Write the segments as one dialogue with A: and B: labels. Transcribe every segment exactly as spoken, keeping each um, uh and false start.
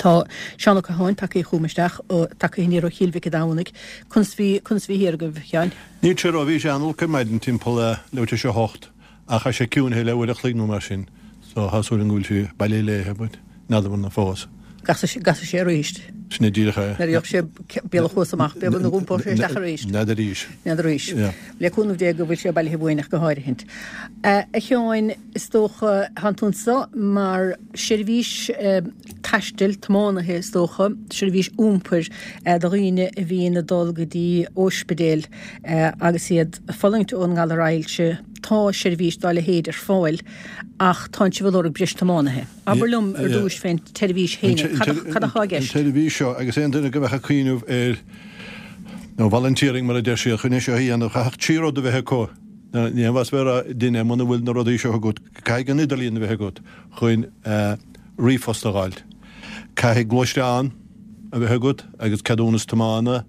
A: Tá Seán Ó Catháin tagtha chugam isteach tagtha aniar ó Chill Mhic an Domhnaigh. Conas bhí conas bhí thiar agaibh, a Sheáin?
B: Níl sé ró bhí sé an-olc ar maidin timpeall leathuair tar éis a hocht ach tá sé ciúnaithe le uair a chloig nó mar sin so tá súil agam go bhfuil sé bailithe léithe but n'fheadar na fós.
A: Casfaidh sé arís.
B: Sin é díreach é.
A: Nuair a gheobhaidh sé bealach thuas amach, b'fhéidir go n-iompóidh sé isteach arís.
B: N'fheadar arís.
A: N'fheadar arís. Le cúnamh Dé go bhfuil sé bailithe uainn ach go háirithint. A Sheáin, is dócha, tánn tú anso mar seirbhís taistil, tiománaithe is dócha, seirbhís iompair do dhaoine a bhíonn ag dul go dtí óispidéil agus iad ag fulaingt ón ngalar ailse. Tá seirbhís dá leithéid ar fáil ach tánn sibh ag lorg breis tiománaithe. Abair liom ar dtúis fén tseirbhís féin, cad atá i gceist?
B: An tseirbhís seo, agus aon duine go mbeadh ag cuimhneamh ar, nó volunteering mar a deir siad, chun é seo a dhéanamh, chaithfeadh trí rud a bheith acu. Ní haon mhaith a bheith ag rá duine muna bhfuil na rudaí seo agat, caithfidh an idirlíon a bheith agat chun ríomhphost a fháilt. Caithfidh gluaisteán a bheith agat agus ceadúnas tiomána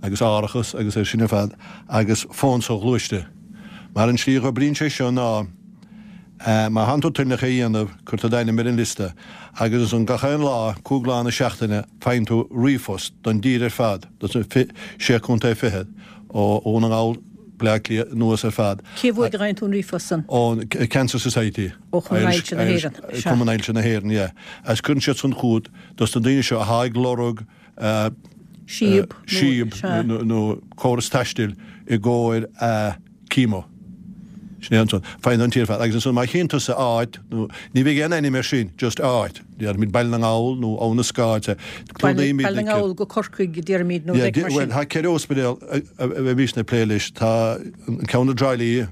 B: agus árachas agus é sin ar fad agus fón soghluaiste. Mar an tslí a dh'oibríonn sé seo ná, Má thánn tú toilneach é a dhéanamh, cuir tú d'ainm ar an liosta, agus ansan gach aon lá, cúig lá na seachtaine, faigheann tú ríomhphost don dtír ar fad, dos na sé contae fichead, ó Dhún na nGall, Baile Átha Cliath anuas ar fad.
A: Cé uaidh a fhaigheann tú an ríomhphost san?
B: Ón Cancer Society.
A: Ó Chumann Ailse na hÉireann.
B: Sea. Cumann Ailse na hÉireann, yeah. Agus cuireann siad san chugat dos na daoine seo athá ag lorg
A: síob,
B: síob nó córas taistil i gcomhair a chemo. Sin é ansan. Faigheann an tír ar fad. Agus ansan má chíonn tusa áit, nó ní bheidh aon ainm air sin, just áit. Déarfaimid Baile na nGall nó Abha na Scáil.
A: Clúdaímid Baile na nGall go Corcaigh, déarfaimid, nó rud mar sin.
B: Bhuel, tá ceithre ospidéal a bheimísne ag plé leis. Tá an ceann i dTrá Lí,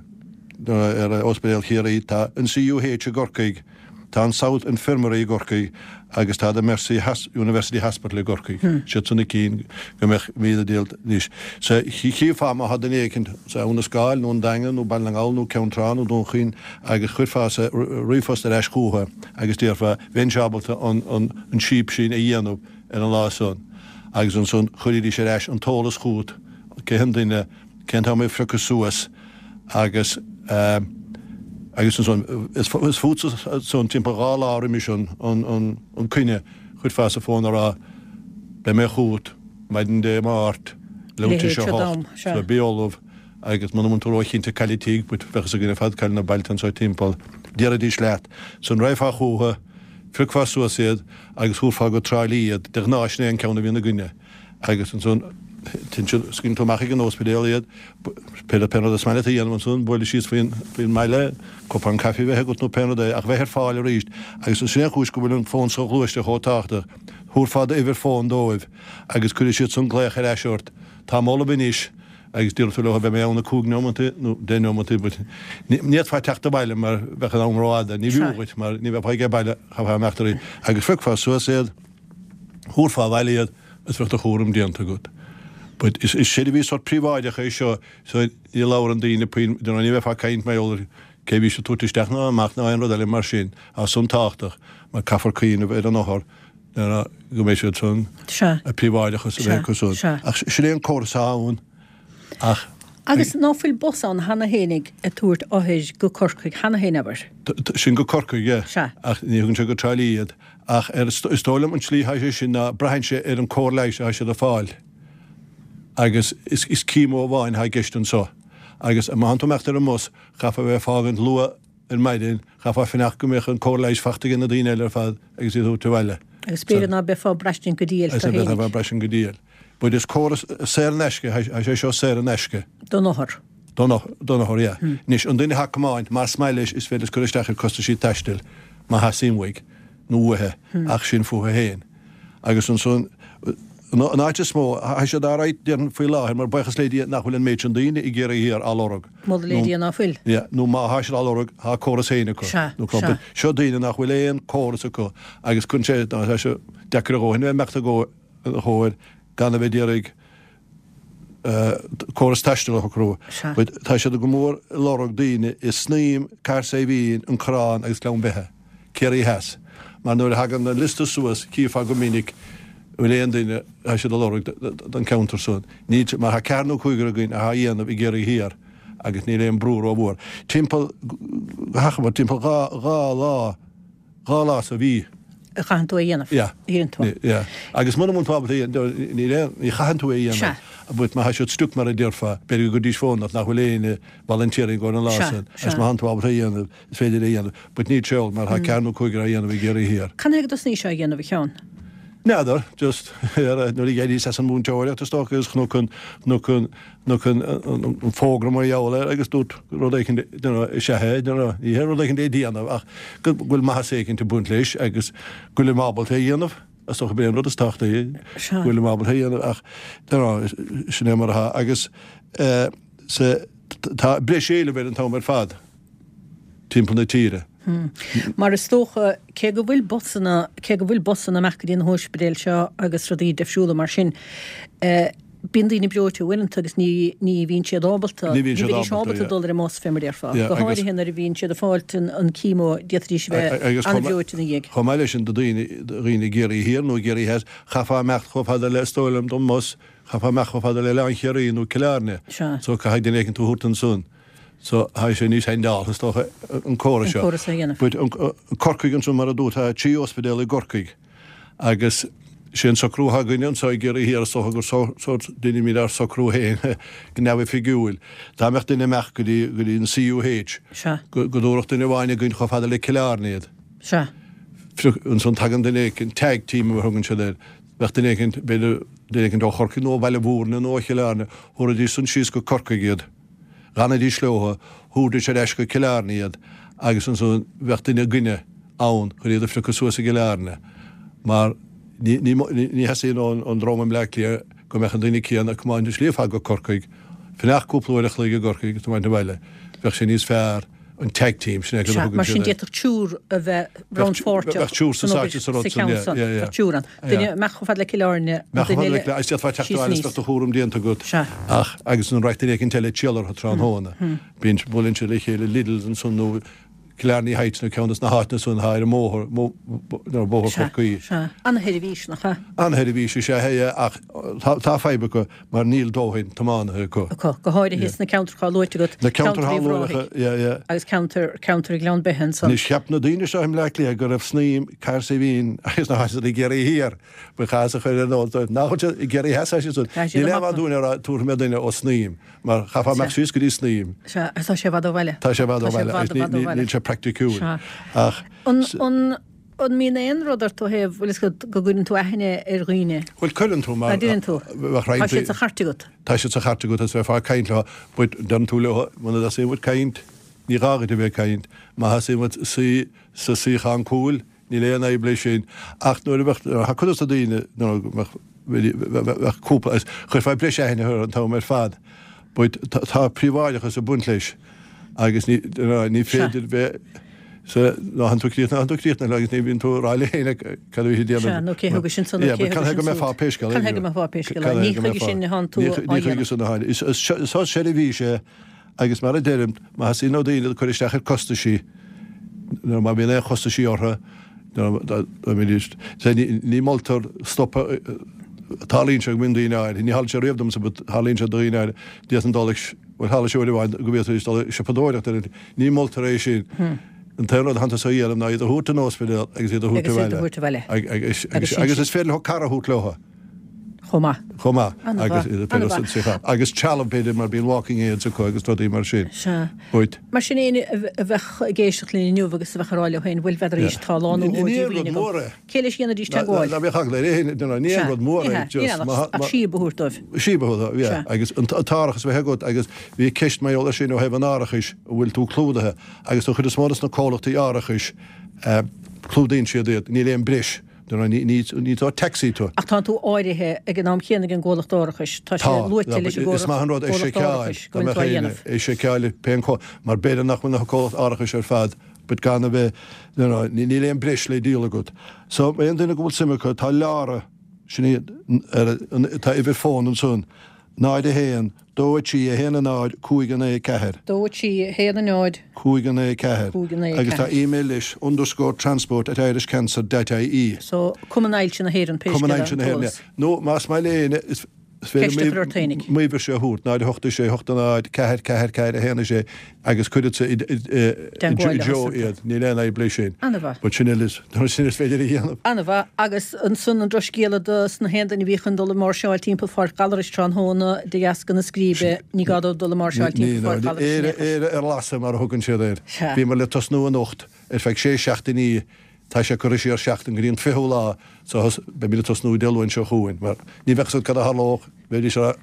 B: ar Ospidéal Chiarraí, tá an CUH i gCorcaigh, Tá an South Infirmary i gCorcaigh agus tá The Mercy University Hospital i gCorcaigh. Siad san na cinn go mbeadh míle díol anois. So chífeá má thá duine éicint sa Abha na Scáil nó an Daingean nó Baile na nGall nó Ceann Trá nó Dún Chaoin agus chuirfeása ríomhphost ar ais chúthu agus déarfá bheinnse ábalta an an síob sin a dhéanamh ar an lá san agus ansan chuiridís ar ais an t-eolas chút cé an duine cén t-am é a phiocadh suas agus agus ansan is fútsa ansan timpeall dhá lá roimis an an coinne chuirfeása fón a rá beidh mé chugat maidin Dé Máirt leathuair tar éis a hocht so bí ullamh agus muna mbíonn tú róchinnte cá tigh but bheadh fhios againn ar fad cá bhfuil na bailte anso timpeall déarfaidís leat san raghfá chúthu phiocfá suas iad agus thabharfá go Trá Lí iad de ghnáth sin é an ceann a bhíonn againne agus ansan scaoileann tú amach ag an ospidéal iad, pé pé rud is maith leat a dhéanamh ansan, bualadh síos faoin faoin mbaile, cupán caife a bheith agat nó pé rud é, ach bheith ar fáil arís. Agus sin é an chúis go bhfuil an fón soghluaiste chomh tábhachtach. Thabharfá d'uimhir fóin dóibh agus cuirfidh siad san glaoch ar ais ort, Táim ullamh anois agus déarfaidh tú leo beidh mé ann i cúig neomantaí nó deich neomantaí but ní fhéadfá teacht abhaile mar bheadh an am rófhada, ní bhfiú dhuit mar ní bheifeá ag baile, chaithfeá imeacht arís agus phiocfá suas iad, thabharfá abhaile iad is bheadh do chúram déanta agat. But is seirbhís sórt príobháideach é seo so ní labhrann daoine puinn, you know, ní bheifeá ag caint mar gheall ar cé a bhí siad ag tabhairt isteach ná amach ná aon rud eile mar sin. Tá san tábhachtach mar caithfear cuimhneamh ar an othar you know, go mbeidh siad san
A: Sea.
B: a príobháideachas a bheith acu san.
A: Sea.
B: Ach sin é an córas atá ann ach
A: Agus ná fuil bus ann cheana fhéinig ag tabhairt othair go Corcaigh cheana féin, abair?
B: Sin go Corcaigh, yeah.
A: Sea.
B: Ach ní thugann sé go Trá Lí iad. Ach ar, is dóigh liom an tslí atá sé sin ná braitheann sé ar an cóir leighis atá siad ag fáil. Agus is, is chemo amháin atá i gceist anso. Agus má thánn tú ag imeacht ar an mbus, chaithfeá bheith ag fágaint luath ar maidin, chaithfeá fanacht go mbeadh an cóir leighis fachta ag na daoine eile ar fad agus iad a thabhairt abhaile.
A: Agus b'fhéidir ná beifeá ag braistint go diail
B: tú
A: fhéinig.
B: Agus braistint go diail. But is córas saor in aisce, tá sé seo saor in aisce.
A: Don othar.
B: Don othar, yeah. Anois, an duine atá ag tiomáint, más maith leis, is féidir leis cur isteach ar costaisí taistil, má theastaíonn uaidh, nó uaithi, ach sin fúthu féin. Agus ansan, an áit is mó, tá siad alright, déarfainn, faoi láthair, mar buíochas le Dia nach bhfuil an méid sin daoine i gCiarraí Thiar á lorg.
A: Moladh le Dia ná fuil.
B: Yeah, nó má thá siad á lorg, thá córas féin acu.
A: Sea,
B: Nó
A: sea.
B: Seo daoine nach bhfuil aon córas acu agus cuireann sé, tá sé deacair a dhóthain a bheith ag imeacht i gcomhair gan a bheith d'iarraidh córas taistil a shocrú.
A: Sea.
B: But tá siad go mór ag lorg daoine i Snaidhm, Cathair Saidhbhín, An Corrán agus Gleann Beithe, Ciarraí Theas. Mar nuair a thagann an liosta suas chífeá go minic an bhfuil aon duine atá siad ag lorg don cheantar san. Níl, mar tá ceathrar nó cúigear againn atá á dhéanamh i gCiarraí Thiar agus níl aon brú rómhór. Timpeall, go hachomair, timpeall dhá, dhá lá, dhá lá sa mhí.
A: a chaitheann tú a dhéanamh.
B: Yeah.
A: Dhéanann tú.
B: Yeah. Agus muna bhfuil tú ábalta é a ní ní chaitheann tú é a dhéanamh. But má tá siad stuck mar a déarfá, b'fhéidir go dtís fónach nach bhfuil aon volunteer ag an lá
A: Sea,
B: sin. Agus
A: sea.
B: má tá tú ábalta é a dhéanamh, is féidir é a dhéanamh. But ní ceol mar tá ceathair nó cúigear á dhéanamh i gCiarraí Thiar.
A: Cad chuige dtosnaís á dhéanamh a Sheáin?
B: N'fheadar, just nuair a d'éiríos as an múinteoireacht is dócha agus chonac an chonac an chonac an an fógra mar gheall air agus dúirt rud éicint you know, is ea é, you know, ní hé rud éicint é déanamh ach go bhfuil maitheas éicint ag baint leis agus go bhfuil ábalta é a dhéanamh. Is dócha b'é an rud is tábhachtaí
A: Sea.
B: go bhfuil ábalta é a dhéanamh ach you know, sin é mar atá agus eh, sa tá breis éilimh ar an t-am ar fad timpeall na tíre.
A: Mar is dócha cé go bhfuil busanna cé go bhfuil busanna amach go dtí na hospidéil seo agus rudaí difriúla mar sin. Eh, Bíonn daoine breoite uaireanta agus ní ní bhíonn siad ábalta
B: Ní bhíonn siad
A: bhídís
B: ábalta,
A: ábalta
B: yeah.
A: dul ar an mbus fé mar déarfá.
B: Yeah,
A: Go
B: agus-
A: háirithe nuair a bhíonn siad ag fáilt an an chemo d'fhéadfaidís bheith
B: Agus chomh ma-
A: an-bhreoite ina dhiaidh.
B: Chomh maith leis sin do daoine dhaoine i gCiarraí Thiar nó Ciarraí Theas, chaithfeá imeacht chomh fada le is dóigh liom don mbus, chaithfeá imeacht chomh fada le Oileán Chiarraí nó Cill Airne.
A: Sea.
B: So caithfidh duine éicint tú a thabhairt ansan. So tá sé níos handáilte is dócha an córas
A: An
B: seo.
A: córas a dhéanamh.
B: But an an Corcaigh ansan mar a dúirt tá trí ospidéal i gCorcaigh agus sé an socrú atá againne anseo i gCiarraí Thiar is dócha gur so déanaimid ár socrú féin go neamhoifigiúil. Dá mbeadh duine amach go dtí go dtí an CUH.
A: Sea.
B: Go go dtabharfadh duine amháin againn chomh fada le Cill Airne iad.
A: Sea.
B: Ansan tagann duine éicint tag team a thugann siad air. Bheadh duine éicint b'fhéidir duine éicint ó Chorcaigh nó ó Bhaile Mhúirne nó ó Chill Airne, thabharfaidís san síos go Corcaigh iad. D'fhanaidís leo, thabharfaidís ar ais go Cill Airne iad, agus ansan bheadh duine againne ann chun iad a phiocadh suas i gCill Airne. Mar ní ní ní theastaíonn ón dream i mBleá Cliath go mbeadh an duine céanna ag tiomáint an slí ar fad go Corcaigh, fanacht cúpla uair a chloig i gCorcaigh agus tiomáint abhaile. Bheadh sé níos fearr an tag team sin é go
A: Sea,
B: thugann
A: mar sin
B: siad air.
A: d'fhéadfadh triúr a bheith rannpháirteach
B: bheadh triúr sa
A: san
B: sáite
A: obair
B: sa rud
A: sa
B: san,
A: cheann
B: yeah,
A: san.
B: yeah, yeah.
A: Bheadh triúr ann. Duine
B: Yeah.
A: amach chomh fada le Cill Airne, an
B: Mbeadh
A: duine
B: chomh fada le
A: eile
B: agus d'fhéadfá teacht
A: síos
B: abhaile
A: aníos.
B: is bheadh do chúram déanta agat.
A: Sea.
B: Ach agus an rachadh duine éicint eile triall orthu tráthnóna. Bíonn buaileann siad le chéile Lidl's ansan nó Killarney Heights nó ceann de na háiteanna san atá ar an mbóthar, nó bóthar
A: Sea,
B: Chorcaí.
A: sea. An-sheirbhís nach ea?
B: An-sheirbhís is ea é ach tá tá fadhb acu mar níl dóthain tiománaithe acu.
A: Acu, go háirithe sna ceantracha luaite agat.
B: Na ceantracha
A: Ceantar Uíbh
B: luaite,
A: Ráthaigh
B: yeah, yeah.
A: Agus ceantar ceantar Ghleann Beithe ansan.
B: Anois cheap na daoine seo i mBleá Cliath go raibh Snaidhm Cahersiveen agus na háiteanna i gCiarraí Thiar. Ba chás a chur ar nós dóibh. Nach bhfuil siad i gCiarraí Theas siad san.
A: Tá siad
B: Níl
A: amach
B: aon dúinn a rá tabharfaidh mé duine ó Snaidhm mar chaithfeá imeacht síos go dtí Snaidhm.
A: Sea, agus tá sé i bhfad ó bhaile.
B: Tá sé i bhfad ó
A: Tá sé
B: bhaile
A: i bhfad,
B: agus
A: i bhfad ó
B: ní-
A: bhaile.
B: níl sé praiticiúil.
A: Sea.
B: Ach
A: An an an mbíonn aon rud ort ó thaobh bhfuil fhios agat go gcuireann tú aithne ar dhaoine?
B: Bhuel cuireann tú mar
A: Tá deireann tú.
B: bheadh
A: Tá
B: roinnt
A: siad sa chairt agat.
B: Tá siad sa chairt agat is bheifeá ag caint leo, but deireann tú leo muna dteastaíonn uait caint, ní gá duit a bheith ag caint, má theastaíonn uait suí sa suíochán cúil, níl aon fhadhb leis sin. Ach nuair a bheadh tá cuid de na daoine nuair a bheadh bheadh cúpla is chuirfeá breis aithne orthu an t-am ar fad. But tá tá príobháideachas ag baint leis agus ní ní féidir bheith sa ná han tú críochnaithe, tú críochnaithe agus ní bhíonn tú ag rá le héinne cad a bhí déanamh.
A: Sea, nó cé thug sin san, nó
B: Yeah,
A: cé
B: but
A: thug
B: can
A: sin
B: go mbeifeá
A: siúd.
B: pé scéal
A: Can go mbeifeá pé scéal. Ní chuige sin a thánn tú
B: Ní
A: á
B: chuige
A: dhéanamh.
B: sin a tháinig. Is is seirbhís é agus mar a deirim má theastaíonn ó daoine cur isteach ar costaisí nó má bhíonn aon chostaisí orthu ní moltar stopadh tarlaíonn sé go mbíonn daoine áirithe, ní tharla sé riamh domsa but tarlaíonn sé daoine áirithe d'fhéadfainn dul ag bhuel tharla sé uair amháin go bhféadfaidís dul ag siopadóireacht ar an ní moltar é sin. An t-aon rud atánn tusa a dhéanamh ná iad a thabhairt don ospidéal agus iad a thabhairt
A: Agus iad a
B: abhaile.
A: thabhairt abhaile.
B: Ag- Agus
A: Agus sin
B: agus
A: sin.
B: is féidir leo cara a thabhairt leo.
A: Chomh maith.
B: Chomh maith
A: An-mhaith,
B: agus iad a
A: an-mhaith.
B: san suíochán. Agus trealamh b'fhéidir mar bíonn walking aids acu agus rudaí mar sin.
A: Sea.
B: But
A: Mar sin éinne a bhe- a bheadh ag éisteacht linn inniu agus a bheadh ag rá leo féin, bhuel b'fhéidir arís tá lán
B: Ní-
A: ó
B: ní aon
A: díomhaoin
B: rud
A: agam.
B: mór é.
A: Cé leis dhéanfaidís teagmháil?
B: Ná bheadh eagla ar éinne, ní aon rud mór é, just má-
A: Ach
B: má-
A: síob a thabhairt dóibh.
B: Síob a thabhairt dóibh, yeah.
A: Sea.
B: Agus an t-árachas a bheith agat agus bhí ceist mar gheall air sin ó thaobh an árachais a bhfuil tú clúdaithe agus an chuid is mó de na comhlachtaí árachais eh, clúdaíonn siad iad, níl aon breis. Ní ní ní tá taxi tú.
A: Ach tá tú áirithe ag an am céanna ag an gcomhlacht árachais. Tá sé luaite leis an
B: Is maith an rud é
A: gcomhlacht
B: seiceáil
A: árachais go bhfuil tú á dhéanamh.
B: é seiceáil pén có mar b'fhéidir nach bhfuil na comhlacht árachais ar fad, but gan a bheith no, no, ní níl aon breis le díol agat. So aon duine go bhfuil suim acu tá Lara sin iad ar an- tá uimhir fón ansan náid a haon, dó a trí a haon a náid cúig a naoi ceathair.
A: Dó a trí a haon a náid.
B: Cúig a naoi ceathair.
A: Cúig a naoi
B: Agus tá
A: ceathair.
B: e-mail leis underscore transport at irishcancer dot ie.
A: So Cumann Ailse na hÉireann pé
B: Cumann
A: scéal
B: Ailse na
A: an
B: hÉireann,
A: t-eolas.
B: yeah. Nó más maith le éinne is
A: Ceist a chur ort fhéinig.
B: M'uimhirse a thabhairt, náid a hocht a sé, hocht a náid, ceathair, ceathair, ceathair, a haon a sé, agus cuirfeadsa i dtreo iad. Níl aon fhadhb leis sin.
A: Ana-mhaith.
B: But sin uile, sin is féidir a dhéanamh.
A: Ana-mhaith. Agus ansan an drochscéala dos na haon duine a bhí chun dul ag máirseáil timpeall Pháirc Ghallarais tráthnóna de dheasca na scríbe, ní gá dóibh dul ag máirseáil timpeall Pháirc Ghallarais in
B: aon chor. Éire ar lasadh mar a thugann siad air. Bhíomar le tosnú anocht ar feadh sé seachtainí. Tá sé curtha siar seachtain go dtí an fichiú lá so beimid ag tosnú Dé Luain seo chugainn mar ní bheadh fhios agat cad a tharlódh, bheidís ar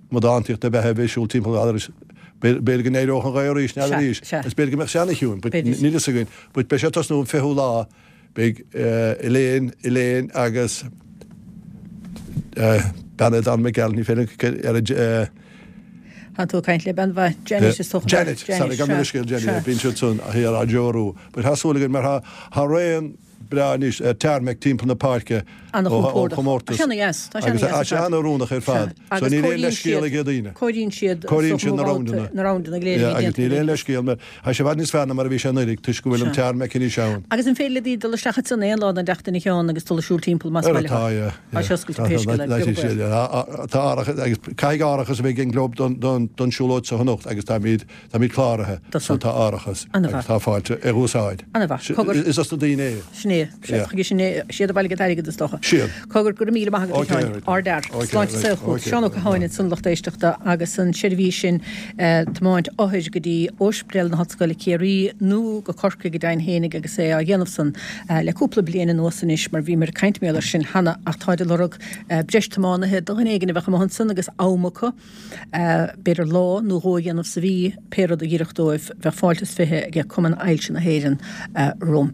B: amadántaíocht ab ea a bheith ag siúl timpeall Ghallarais. B'fhéidir go n-éireodh an ghaoth arís, n'fheadar arís, is b'fhéidir go mbeadh sé ana-chiúin, but níl fhios againn. But beidh sé ag tosnú an fichiú lá, beidh Elaine, Elaine agus bean é Don McGall, ní féidir ar a
A: Tá tú ag caint le bean mhaith, Janet is dócha.
B: Janet, sorry, gabh mo leithscéal, Janet, bíonn siad san thiar á dtreorú. But tá súil againn mar tá tá raon breá anois ar tarmac timpeall na páirce ó chomórtas.
A: Tá sé ana-dheas, tá sé ana-dheas.
B: Tá sé an-oiriúnach ar fad. So níl aon leithscéal ag daoine.
A: Cóiríonn siad
B: Cóiríonn siad na roundanna.
A: Na roundanna go léir a bhí
B: déanta. Agus níl aon leithscéal mar tá sé i bhfad níos fearr ná mar a bhí sé anuraidh toisc go bhfuil an tarmac anois ann.
A: Agus an féidir le daoine dul isteach ansan aon lá den tseachtain a Sheáin agus dul ag siúl timpeall más maith leo?
B: Tá, yeah.
A: Tá sé oscailte pé scéal é, beag baol.
B: Tá árachas agus caithfidh árachas a bheith ag an gclub don don siúlóid seo anocht agus táimid táimid cláraithe so tá árachas agus tá fáilte ar úsáid.
A: Ana-mhaith. Cogar.
B: Is dos na daoine é.
A: Sin é. Chuige sin é. Siad a bhailigh an t-airgead is dócha.
B: Siad.
A: Cogar, go raibh míle maith agat a Sheáin. Ardfhear. Sláinte is saol chugat. Seán Ó Catháin ansan lucht éisteachta agus an seirbhís sin tiomáint othair go dtí Ospidéal na hOllscoile Ciarraí nó go Corcaigh go deimhin fhéinig agus é á dhéanamh san le cúpla bliain anuas anois mar bhíomar ag caint mar gheall air sin cheana ach táid ag lorg breis tiománaithe do dhuine éigin a bheadh amuigh ansan agus am acu, b'fhéidir lá nó dhó a dhéanamh sa mhí, pé rud a dh'oirfeadh dóibh, bheadh fáilte is fiche ag Cumann Ailse na hÉireann rompu.